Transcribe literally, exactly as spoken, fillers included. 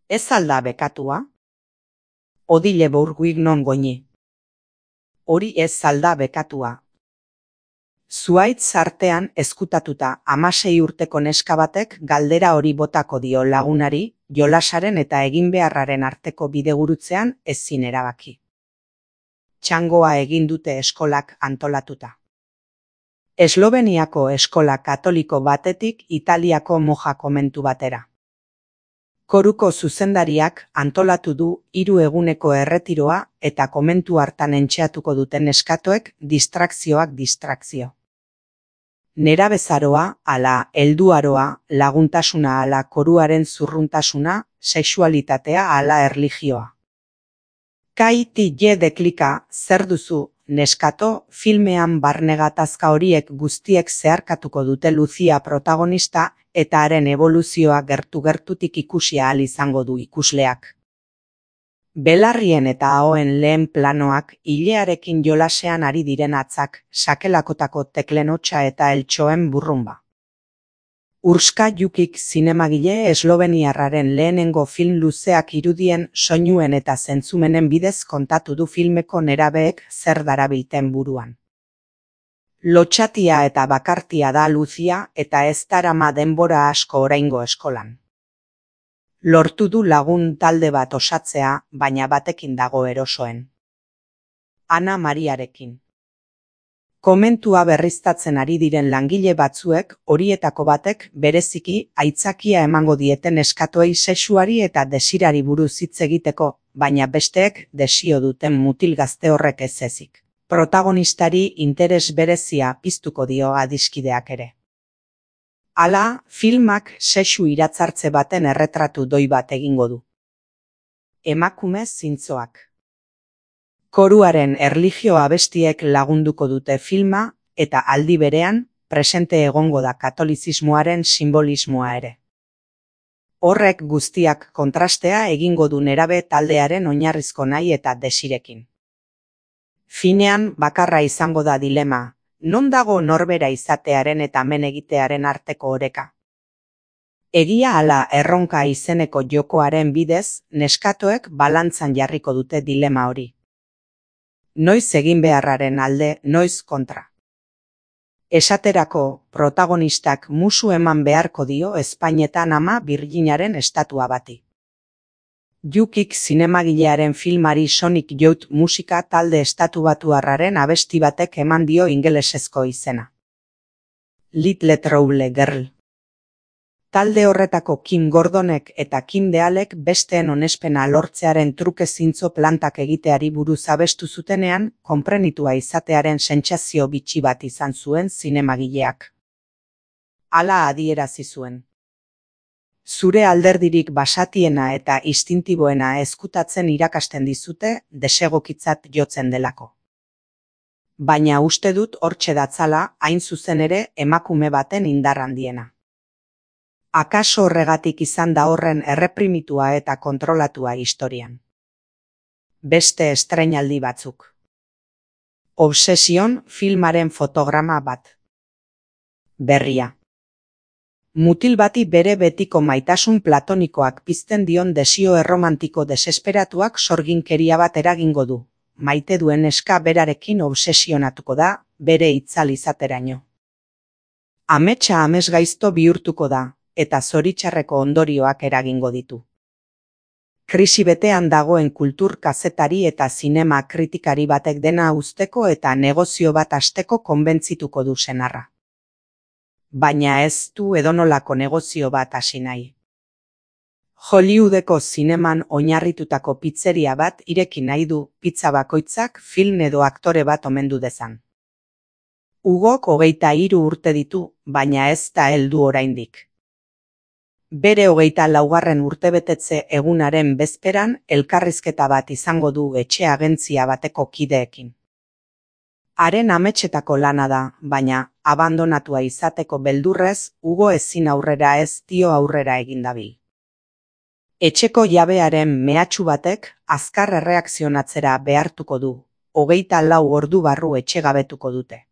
Ez alda bekatua? Odile bourguig non goñi. Hori ez alda bekatua. Zuaitz artean ezkutatuta hamasei urteko neska batek galdera hori botako dio lagunari, jolasaren eta eginbeharraren arteko bidegurutzean ezin erabaki. Txangoa egin dute eskolak antolatuta. Esloveniako eskola katoliko batetik Italiako moja komentu batera. Koruko zuzendariak antolatu du hiru eguneko erretiroa eta komentu hartan entxeatuko duten neskatoek distrakzioak distrakzio. Nerabezaroa, ala helduaroa, laguntasuna ala koruaren zurruntasuna, sexualitatea ala erlijioa. Kai ti je deklika, zer duzu, neskato, filmean barne gatazka horiek guztiek zeharkatuko dute Lucia protagonista eta haren eboluzioa gertu-gertutik ikusi ahal izango du ikusleak. Belarrien eta ahoen lehen planoak ilearekin jolasean ari diren atzak, sakelakotako teklenotxa eta eltxoen burrumba. Urska Jukik zinemagile esloveniarraren lehenengo film luzeak irudien, soinuen eta zentzumenen bidez kontatu du filmeko nerabeek zer darabilten buruan. Lotxatia eta bakartia da Lucia eta ez darama denbora asko oraingo eskolan. Lortu du lagun talde bat osatzea, baina batekin dago erosoen. Ana Mariarekin. Komentua berriztatzen ari diren langile batzuek, horietako batek bereziki aitzakia emango dieten neskatoei sexuari eta desirari buruz hitz egiteko, baina besteek desio duten mutil gazte horrek ez ezik. Protagonistari interes berezia piztuko dio adiskideak ere. Hala, filmak sexu iratzartze baten erretratu doi bat egingo du. Emakume zintzoak. Koruaren erlijio abestiek lagunduko dute filma eta aldi berean presente egongo da katolizismoaren simbolismoa ere. Horrek guztiak kontrastea egingo du nerabe taldearen oinarrizko nahi eta desirekin. Finean bakarra izango da dilema, non dago norbera izatearen eta men egitearen arteko oreka. Egia ala erronka izeneko jokoaren bidez, neskatoek balantzan jarriko dute dilema hori. Noiz egin beharraren alde, noiz kontra. Esaterako, protagonistak musu eman beharko dio Espainetan ama Birjinaren estatua bati. Jukik zinemagilearen filmari Sonic Youth musika talde estatubatuarraren abesti batek eman dio ingelesezko izena. Little Trouble Girl. Talde horretako Kim Gordonek eta Kim Dealek besteen onespena lortzearen truke zintzo plantak egiteari buruz abestu zutenean, konprenitua izatearen sentsazio bitxi bat izan zuen zinemagileak. Hala adierazi zuen. Zure alderdirik basatiena eta instintiboena ezkutatzen irakasten dizute desegokitzat jotzen delako. Baina uste dut hortxe datzala hain zuzen ere emakume baten indar handiena. Akaso horregatik izan da horren erreprimitua eta kontrolatua historian. Beste estreinaldi batzuk. Obsession filmaren fotograma bat. Berria. Mutil bati bere betiko maitasun platonikoak pizten dion desio erromantiko desesperatuak sorginkeria bat eragingo du. Maite duen neska berarekin obsesionatuko da, bere itzal izateraino. Ametsa amesgaizto bihurtuko da, eta zoritxarreko ondorioak eragingo ditu. Krisi betean dagoen kultur kazetari eta zinema kritikari batek dena uzteko eta negozio bat hasteko konbentzituko du senarra. Baina ez du edonolako negozio bat hasi nahi. Hollywoodeko zineman oinarritutako pizzeria bat ireki nahi du pizza bakoitzak film edo aktore bat omendu dezan. Hugok hogeita hiru urte ditu, baina ez da heldu oraindik. Bere hogeita laugarren urtebetetze egunaren bezperan elkarrizketa bat izango du etxe agentzia bateko kideekin. Haren ametsetako lana da, baina abandonatua izateko beldurrez, Hugo ezin aurrera ez dio aurrera egin dabil. Etxeko jabearen mehatxu batek azkar erreakzionatzera behartuko du, hogeita lau ordu barru etxegabetuko dute.